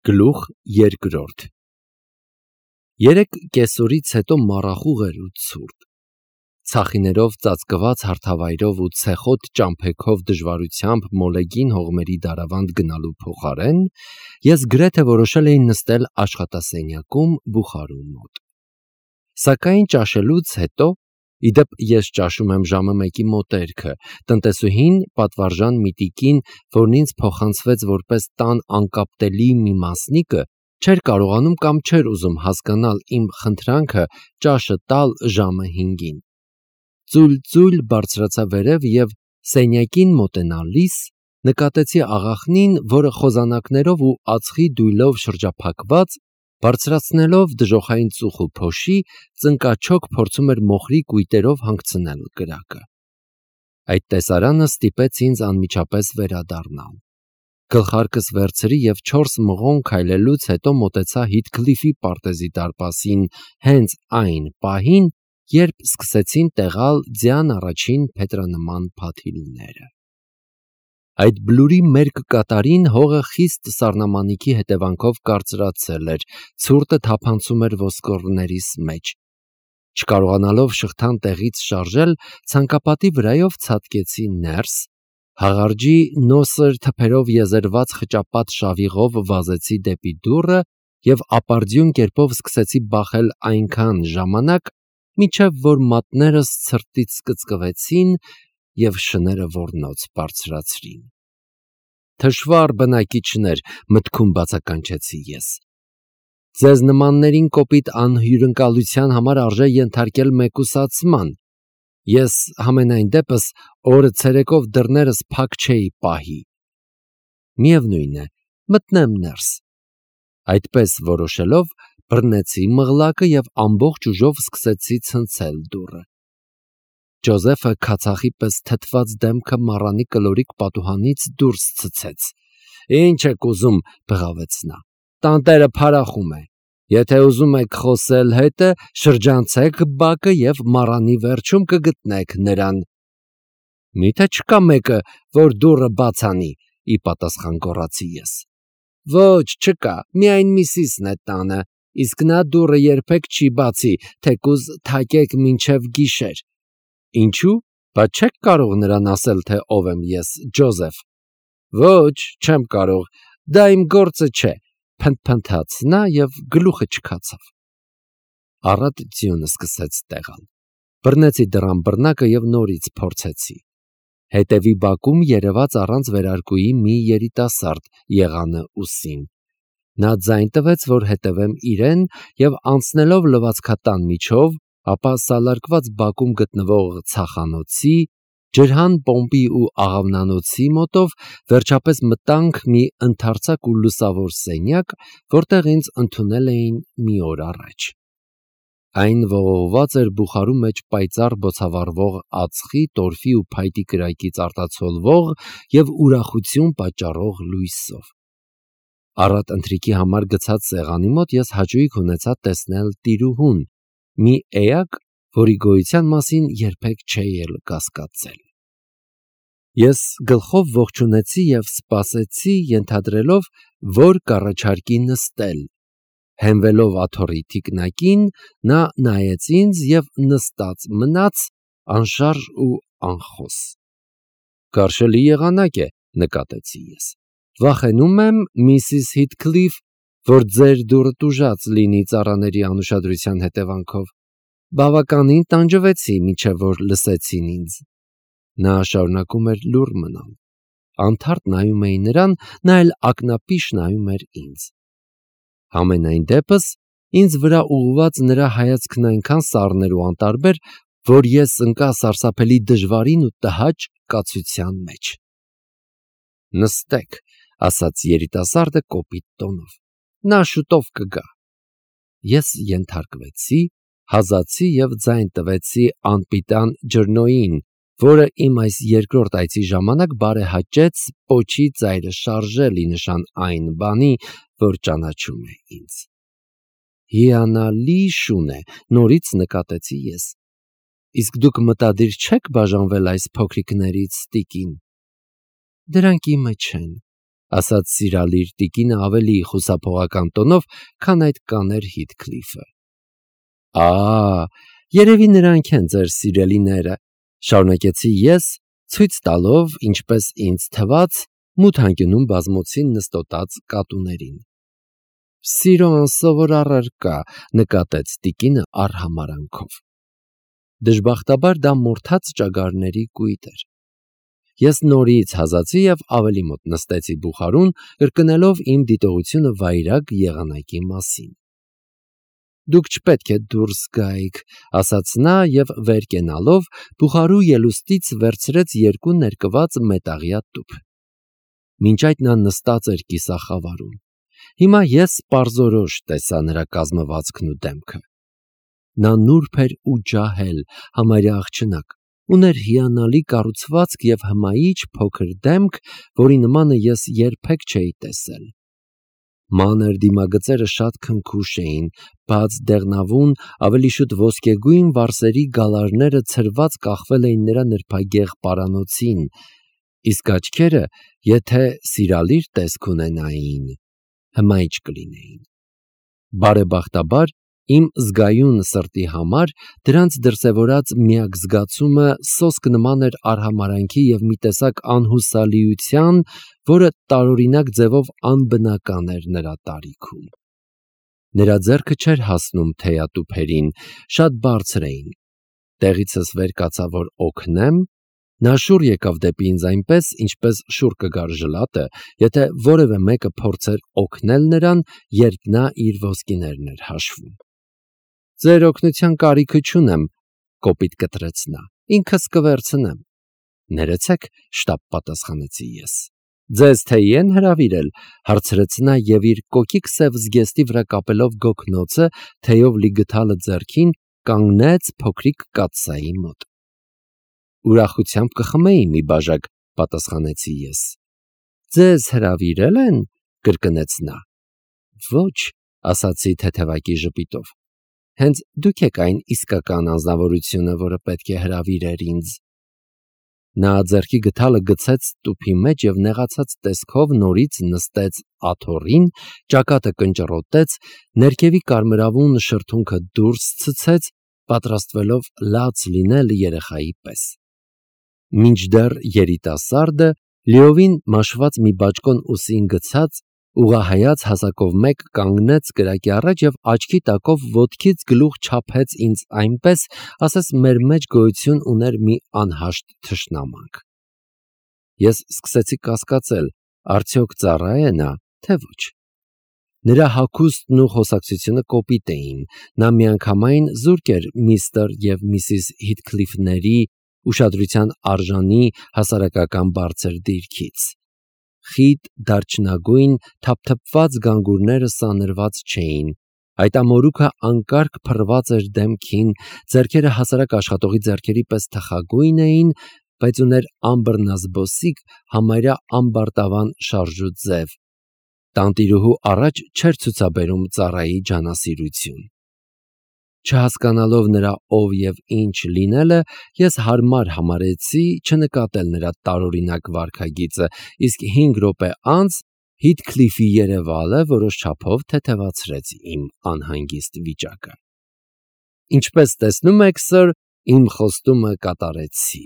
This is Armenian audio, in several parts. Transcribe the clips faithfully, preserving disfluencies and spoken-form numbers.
Գլուխ երկրորդ Երեք կեսօրից հետո մառախուղ էր ու ցուրտ, ցախիներով ծածկված հարթավայրով ու ցեխոտ ճամփեքով դժվարությամբ մոլեգին հողմերի դարավանդ գնալու փոխարեն ես գրեթե որոշել էի նստել աշխատասենյակում բուխարու մոտ, սակայն ճաշելուց հետո, իդեպ ես ճաշում եմ ժամը մեկի մոտերքը, տնտեսուհին պատվարժան միտիկին, որն ինձ փոխանցվեց որպես տան անկապտելի մի մասնիկը, չէր կարողանում կամ չէր ուզում հասկանալ իմ խնդրանքը ճաշը տալ ժամը հինգին, ծույլ-ծույլ բարձրացա վերև և սենյակին մոտենալիս նկատեցի աղախնին, որը խոզանակներով ու ածխի դույլով շրջափակված, բարձրացնելով դժոխային ծուխ ու փոշի, ծնկաչոք փորձում էր մոխրի կույտերով հանգցնել կրակը: Այդ տեսարանը ստիպեց ինձ անմիջապես վերադառնալ: Գլխարկս վերցրի և չորս մղոն քայլելուց հետո մոտեցա Հիթքլիֆի պարտեզի դարպասին հենց այն պահին, երբ սկսեցին տեղալ ձյան առաջին փետրանման փաթիլները: Այդ բլուրի մերկ կատարին հողը խիստ սառնամանիքի հետևանքով կարծրացել էր, ցուրտը թափանցում էր ոսկորներիս մեջ: Չկարողանալով շղթան տեղից շարժել, ցանկապատի վրայով ցատկեցի ներս, հաղարջի նոսր թփերով եզերված խճապատ շավիղով վազեցի դեպի դուռը և ապարդյուն կերպով սկսեցի բախել այնքան ժամանակ, մինչև որ մատներս ցրտից կծկվեցին և շները ոռնոց բարձրացրին: «Թշվառ բնակիչներ», մտքում բացականչեցի ես, «ձեզ նմաններին կոպիտ անհյուրընկալության համար արժե ենթարկել մեկուսացման: Ես համենայն դեպս օրը ցերեկով դռներս փակ չէի պահի: Միևնույն է, մտնեմ ներս»: Այդպես որոշելով, բռնեցի մղլակը և ամբողջ ուժով սկսեցի ցնցել դուռը: Ջոզեֆը քացախի պես թթված դեմքը մառանի կլորիկ պատուհանից դուրս ցցեց: «Ինչ եք ուզում», բղավեց նա, «տանտերը փարախում է: Եթե ուզում եք խոսել հետը, շրջանցեք բակը և մառանի վերջում կգտնեք նրան»: «Մի՞թե չկա մեկը, որ դուռը բաց անի», ի պատասխան գոռացի ես: «Ոչ, չկա, միայն Միսիսն է տանը, իսկ նա դուռը երբեք չի բացի, թեկուզ թակեք մինչև գիշեր»: «Ինչո՞ւ, բա չեք կարող նրան ասել, թե ով եմ ես, Ջոզեֆ»: «Ոչ, չեմ կարող, դա իմ գործը չէ», փնթփնթաց նա և գլուխը չքացավ: Առատ ձյունը սկսեց տեղալ: Բռնեցի դռան բռնակը և նորից փորձեցի: Հետևի բակում երևաց առանց վերարկուի մի երիտասարդ, եղանը ուսին: Նա ձայն տվեց, որ հետևեմ իրեն և անցնելով լվացքատան միջով, ապա սալարկված բակում գտնվող ցախանոցի, ջրհան պոմպի ու աղավնանոցի մոտով, վերջապես մտանք մի ընդարձակ ու լուսավոր սենյակ, որտեղ ինձ ընդունել էին մի օր առաջ: Այն ողողված էր բուխարու մեջ պայծառ բոցավառվող ածխի, տորֆի ու փայտի կրակից արտացոլվող և ուրախություն պատճառող լույսով: Առատ ընթրիքի համար գցած սեղանի մոտ ես հաճույք ունեցա տեսնել տիրուհուն, մի էակ, որի գոյության մասին երբեք չէի էլ կասկածել: Ես գլխով ողջունեցի և սպասեցի, ենթադրելով, որ կառաջարկի նստել: Հենվելով աթոռի թիկնակին, նա նայեց ինձ և նստած մնաց, անշարժ ու անխոս: «Կարշելի եղանակ է», նկատեցի ես, «վախենում եմ, Միսիս Հիթքլիֆ, որ ձեր դուռը տուժած լինի ծառաների անուշադրության հետևանքով: Բավականին տանջվեցի, մինչև որ լսեցին ինձ»: Նա շարունակում էր լուռ մնալ: Անթարթ նայում էի նրան, նա էլ ակնապիշ նայում էր ինձ: Համենայն դեպս, ինձ վրա ուղղված նրա հայացքն այնքան սառն ու անտարբեր, որ ես ընկա սարսափելի դժվարին ու տհաճ կացության մեջ: «Նստեք», ասաց երիտասարդը կոպիտ տոնով, «նա շուտով կգա»: Ես ենթարկվեցի, հազացի և ձայն տվեցի անպիտան ջրնոյին, որը իմ այս երկրորդ այցի ժամանակ բարեհաճեց պոչի ծայրը շարժել, ի նշան այն բանի, որ ճանաչում է ինձ: «Հիանալի շուն է», նորից նկատեցի ես, «իսկ դուք մտադիր չե՞ք բաժանվել այս փոքրիկներից, տիկին»: «Դրանք իմը չեն», ասաց սիրալիր տիկինը ավելի խուսափողական տոնով, քան այդ կաներ Հիթքլիֆը։ Ա, երևի նրանք են ձեր սիրելիները, շարունակեցի ես, ցույց տալով, ինչպես ինձ թվաց, մութ անկյունում բազմոցին նստոտած կատուներին։ Սիրո անսովոր առարկա, նկատեց տիկինը արհամարանքով։ Դժբախտաբար դա մորթած ճագարների կույտ էր։ Ես նորից հազացի և ավելի մոտ նստեցի բուխարուն, կրկնելով իմ դիտողությունը վայրագ եղանակի մասին։ Դուք չպետք է դուրս գայիք, ասաց նա և վեր կենալով բուխարու ելուստից վերցրեց երկու ներկված մետաղյա տուփ։ Մինչ այդ նա նստած էր կիսախավարում։ Հիմա ես պարզորոշ տեսա նրա կազմվածքն ու դեմքը։ Նա նուրբ էր ու ջահել, համարյա աղջնակ, ուներ հիանալի կառուցվածք և հմայիչ փոքր դեմք, որի նմանը ես երբեք չէի տեսել։ Մանր դիմագծերը շատ քնքուշ էին, բաց դեղնավուն, ավելի շուտ ոսկեգույն վարսերի գալարները ցրված կախվել էին նրա նրբագեղ պարանոցին, իսկ աչքերը, եթե սիրալիր տեսք ունենային, հմայիչ կլինեին։ Բարեբախտաբար, իմ զգայուն սրտի համար դրանց դրսևորած միակ զգացումը սոսկ նման էր արհամարանքի և մի տեսակ անհուսալիության, որը տարօրինակ ձևով անբնական էր նրա տարիքում։ Նրա ձեռքը չէր հասնում թեյատուփերին, շատ բարձր էին։ Տեղիցս վեր կացա, որ օգնեմ, նա շուռ եկավ դեպի ինձ այնպես, ինչպես շուռ կգար ժլատը, եթե որևէ մեկը փորձեր օգնել նրան, երբ նա իր ոսկիներն էր հաշվում։ Ձեր օգնության կարիքը չունեմ, կոպիտ կտրեց նա, ինքս կվերցնեմ։ Ներեցեք, շտապ պատասխանեցի ես։ Ձեզ թեյի են հրավիրել, հարցրեց նա և իր կոկիկ սև զգեստի վրա կապելով գոգնոցը, թեյով լի գդալը ձեռքին, կանգնեց փոքրիկ կաթսայի մոտ։ Ուրախությամբ կխմեի մի բաժակ, պատասխանեցի ես։ Ձեզ հրավիրել են, կրկնեց նա։ Ոչ, ասացի թեթևակի ժպիտով։ Հենց դուք եք այն իսկական անձնավորությունը, որը պետք է հրավիրեր ինձ։ Նա ձեռքի գդալը գցեց տուփի մեջ և նեղացած տեսքով նորից նստեց աթոռին, ճակատը կնճռոտեց, ներքևի կարմրավուն շրթունքը դուրս ցցեց, պատրաստվելով լաց լինել երեխայի պես։ Մինչդեռ երիտասարդը, լիովին մաշված մի բաճկոն ուսին գցած, ուղղահայաց հասակով մեկ կանգնեց կրակի առաջ և աչքի տակով ոտքից գլուխ չափեց ինձ այնպես, ասես մեր մեջ գոյություն ուներ մի անհաշտ թշնամանք։ Ես սկսեցի կասկածել, արդյոք ծառա է նա, թե ոչ։ Նրա հագուստն ու խոսակցությունը կոպիտ էին, նա միանգամայն զուրկ էր միստր և միսիս Հիթքլիֆների ուշադրության արժանի հասարակական բարձր դիրքից։ Խիտ դարչնագույն թափթփված գանգուրները սանրված չէին, այդ ամորուքը անկարգ փռված էր դեմքին, ձեռքերը հասարակ աշխատողի ձեռքերի պես թխագույն էին, բայց ուներ անբռնազբոսիկ, համարյա ամբարտավան շարժու ձև։ Տանտիրուհու առաջ չէր ցուցաբերում ծառայի ջանասիրություն։ Չհասկանալով նրա ով և ինչ լինելը, ես հարմար համարեցի չնկատել նրա տարօրինակ վարքագիծը, իսկ հինգ րոպե անց Հիթքլիֆի երևալը որոշ չափով թեթևացրեց իմ անհանգիստ վիճակը։ Ինչպես տեսնում եք, սըր, իմ խոստումը կատարեցի,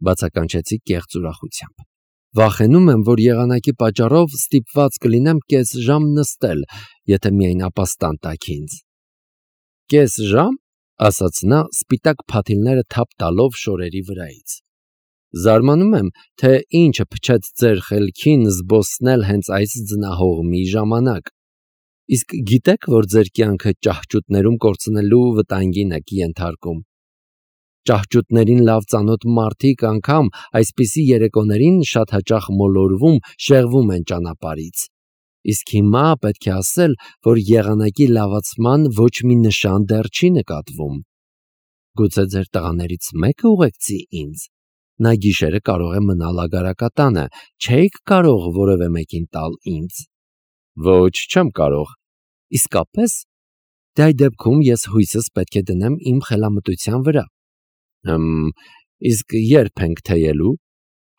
բացականչեցի կեղծ ուրախությամբ։ Վախենում եմ, որ եղանակի պատճառով ստիպված կլինեմ կես ժամ նստել, եթե միայն ապաստան տաք ինձ։ Կես ժամ, ասաց նա, սպիտակ փաթիլները թափ տալով շորերի վրայից։ Զարմանում եմ, թե ինչը փչեց ձեր խելքին զբոսնել հենց այս ձնահողմի ժամանակ։ Իսկ գիտեք, որ ձեր կյանքը ճահճուտներում կորցնելու վտանգին եք ենթարկում։ Ճահճուտներին լավ ծանոթ մարդիկ անգամ այսպիսի երեկոներին շատ հաճախ մոլորվում, շեղվում են ճանապարհից։ Իսկ հիմա պետք է ասել, որ եղանակի լավացման ոչ մի նշան դեռ չի նկատվում։ Գուցե ձեր տղաներից մեկը ուղեկցի ինձ։ Նա գիշերը կարող է մնալ ագարակատանը, չէիք կարող որևէ մեկին տալ ինձ։ Ոչ, չեմ կարող։ Իսկապես։ Դե այդ դեպքում ես հույսս պետք է դնեմ իմ խելամտության վրա։ Հմ, իսկ երբ ենք թեյելու,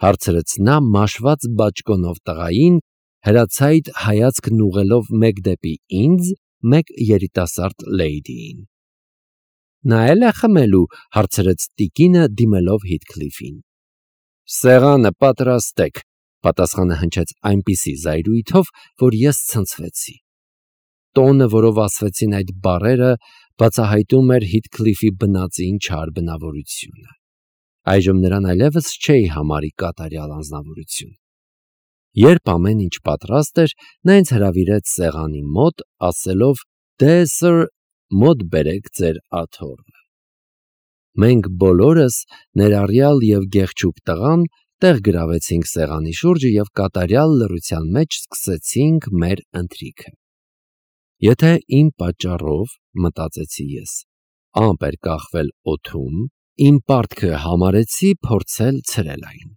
հարցրեց նա մաշված բաճկոնով տղային, հրացայիտ հայացքն ուղղելով մեկ դեպի ինձ, մեկ երիտասարդ լեյդիին։ Նայել է խմելու, հարցրեց տիկինը դիմելով Հիթքլիֆին։ Սեղանը պատրաստեք, պատասխանը հնչեց այնպիսի զայրույթով, որ ես ցնցվեցի։ Տոնը, որով ասվեցին այդ բառերը, բացահայտում էր Հիթքլիֆի բնածին չար բնավորությունը։ Այժմ նրան այլևս չէի համարի կատարյալ անձնավորություն։ Երբ ամեն ինչ պատրաստ էր, նա ինձ հրավիրեց սեղանի մոտ, ասելով. «Դե սըր, մոտ բերեք ձեր աթոռը»։ Մենք բոլորս, ներառյալ և գեղեցիկ տղան, տեղ գրավեցինք սեղանի շուրջը և կատարյալ լռության մեջ սկսեցինք մեր ընթրիքը։ Եթե իմ պատճառով, մտածեցի ես, ամպ էր կախվել օդում, իմ պարտքը համարեցի փորձել ցրել այն։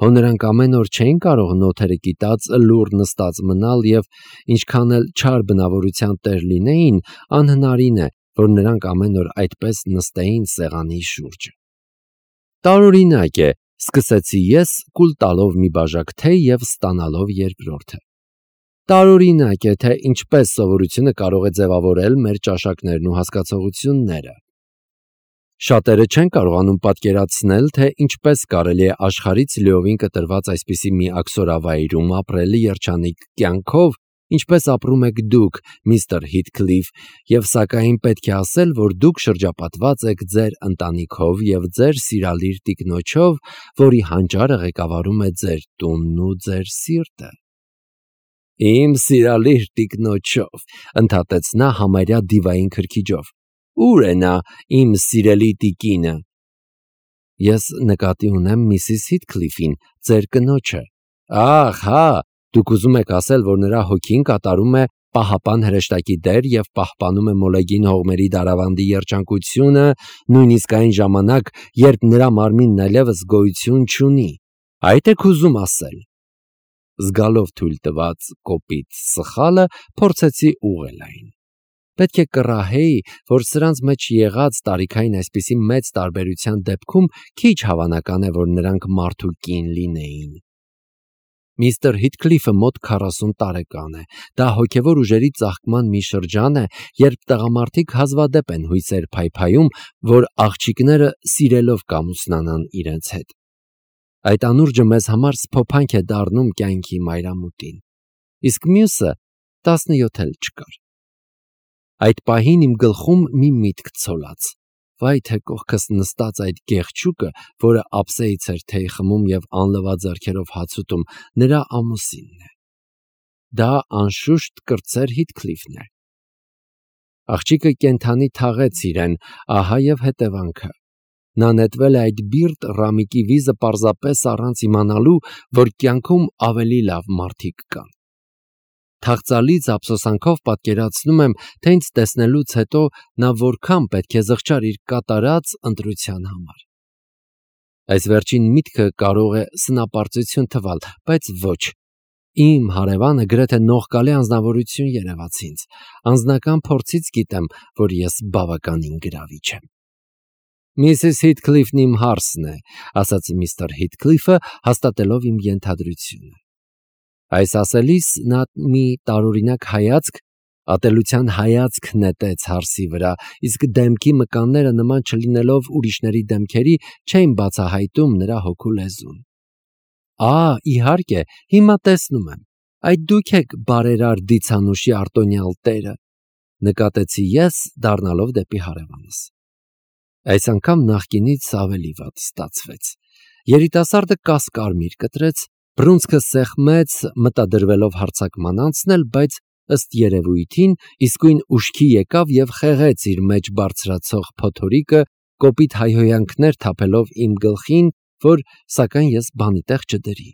Հո նրանք ամեն օր չէին կարող նոթերը կիտած լուռ նստած մնալ և ինչքան էլ չար բնավորության տեր լինեին, անհնարին է, որ նրանք ամեն օր այդպես նստեին սեղանի շուրջը։ Տարօրինակ է, սկսեցի ես, կուլ տալով մի բաժակ թեյ և ստանալով երկրորդը։ Տարօրինակ է, թե ինչպես սովորությունը կարող է ձևավորել մեր ճաշակներն ու հասկացողությունները։ Շատերը չեն կարողանում պատկերացնել, թե ինչպես կարելի է աշխարհից լիովին կտրված այսպիսի մի աքսորավայրում ապրել երջանիկ կյանքով, ինչպես ապրում եք դուք, միստր Հիթքլիֆ, և սակայն պետք է ասել, որ դուք շրջապատված եք ձեր ընտանիքով և ձեր սիրալիր տիկնոջով, որի հանճարը ղեկավարում է ձեր տունն ու ձեր սիրտը։ Իմ սիրալիր տիկնոջով, ընդհատեց նա համարյա դիվային քրքիջով։ Ո՞ւր է նա, իմ սիրելի տիկինը։ Ես նկատի ունեմ միսիս Հիթքլիֆին, ձեր կնոջը։ Ահ, հա, դուք ուզում եք ասել, որ նրա հոգին կատարում է պահապան հրեշտակի դեր և պահպանում է մոլեգին հողմերի դարավանդի երջանկությունը, նույնիսկ այն ժամանակ, երբ նրա մարմինն այլևս գոյություն չունի։ Այդ եք ուզում ասել։ Զգալով թույլ տված կոպիտ սխալը, փորձեցի ուղղել այն։ Պետք է կռահեի, որ սրանց մեջ եղած տարիքային այսպիսի մեծ տարբերության դեպքում քիչ հավանական է, որ նրանք մարդ ու կին լինեին։ Միստր Հիթքլիֆը մոտ քառասուն տարեկան է։ Դա հոգևոր ուժերի ծաղկման մի շրջան է, երբ տղամարդիկ հազվադեպ են հույսեր փայփայում, որ աղջիկները սիրելով կամուսնանան իրենց հետ։ Այդ անուրջը մեզ համար սփոփանք է դառնում կյանքի մայրամուտին։ Իսկ մյուսը տասնյոթ էլ չկար։ Այդ պահին իմ գլխում մի միտք ցոլած. վայ թե կողքս նստած այդ գեղչուկը, որը ափսեից էր թեյ խմում և անլվա ձեռքերով հաց ուտում, նրա ամուսինն է։ Դա անշուշտ կրտսեր Հիթքլիֆն է։ Աղջիկը կենդանի թաղեց իրեն, ահա և հետևանքը։ Նա նետվել է այդ բիրտ Ռամիկի վիզը պարզապես առանց իմանալու, որ կյանքում ավելի լավ մարդիկ կան։ Թախծալից ափսոսանքով պատկերացնում եմ, թե ինձ տեսնելուց հետո նա որքան պետք է զղջար իր կատարած ընտրության համար։ Այս վերջին միտքը կարող է սնապարծություն թվալ, բայց ոչ։ Իմ հարևանը գրեթե նողկալի անձնավորություն երևաց ինձ։ Անձնական փորձից գիտեմ, որ ես բավականին գրավիչ եմ։ Միսիս Հիթքլիֆն իմ հարսն է, ասաց միստր Հիթքլիֆը, հաստատելով իմ ենթադրությունը։ Այս ասելիս նա մի տարօրինակ հայացք, ատելության հայացք նետեց հարսի վրա, իսկ դեմքի մկանները նման չլինելով ուրիշների դեմքերի, չէին բացահայտում նրա հոգու լեզուն։ Ա, իհարկե, հիմա տեսնում եմ։ Այդ դուք եք բարերար դիցանուշի արտոնյալ տերը, նկատեցի ես, դառնալով դեպի հարևանս։ Այս անգամ նախկինից ավելի վատ ստացվեց։ Երիտասարդը կասկարմիր կտրեց, բռունցքը սեղմեց, մտադրվելով հարձակման անցնել, բայց ըստ երևույթին իսկույն ուշքի եկավ և խեղեց իր մեջ բարձրացող փոթորիկը, կոպիտ հայհոյանքներ թափելով իմ գլխին, որ սակայն ես բանի տեղ չդրի։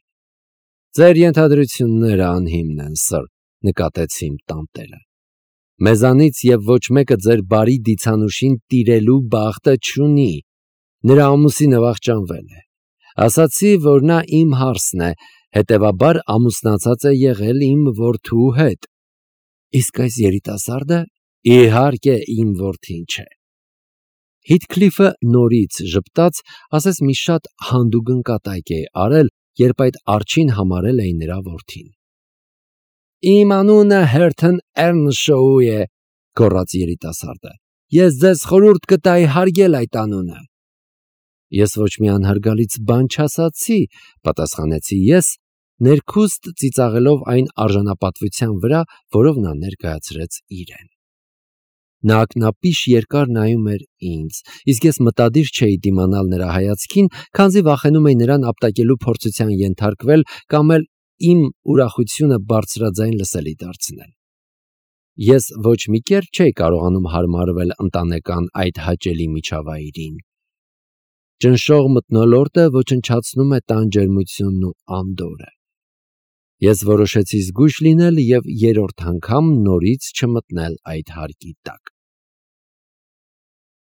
Ձեր ենթադրությունները անհիմն են, սըր, նկատեց իմ տանտերը։ Մեզանից և ոչ մեկը ձեր բարի դիցանուշին տիրելու բախտը չունի։ Նրա ամուսինը վախճանվել է։ Ասացի, որ նա իմ հարսն է, հետևաբար ամուսնացած է եղել իմ որդու հետ։ Իսկ այս երիտասարդը, իհարկե, իմ որդին չէ։ Հիթքլիֆը նորից ժպտաց, ասես մի շատ հանդուգն կատակ է արել, երբ այդ արջին համարել էի նրա որդին։ Իմ անունը Հերթն Էռնշոու է, գոռաց երիտասարդը։ Ես ձեզ խորհուրդ կտայի հարգել այդ անունը։ Ես ոչ մի անհարգալից բան չասացի, պատասխանեցի ես, ներքուստ ծիծաղելով այն արժանապատվության վրա, որով նա ներկայացրեց իրեն։ Նա ակնապիշ երկար նայում էր ինձ, իսկ ես մտադիր չէի դիմանալ նրա հայացքին, քանզի վախենում էի նրան ապտակելու փորձության ենթարկվել կամ էլ իմ ուրախությունը բարձրաձայն լսելի դարձնել։ Ես ոչ մի կերպ չէի կարողանում հարմարվել ընտանեկան այդ հաճելի միջավայրին։ Ճնշող մթնոլորտը ոչնչացնում է տան ջերմությունն ու անդորրը։ Ես որոշեցի զգույշ լինել և երրորդ անգամ նորից չմտնել այդ հարկի տակ։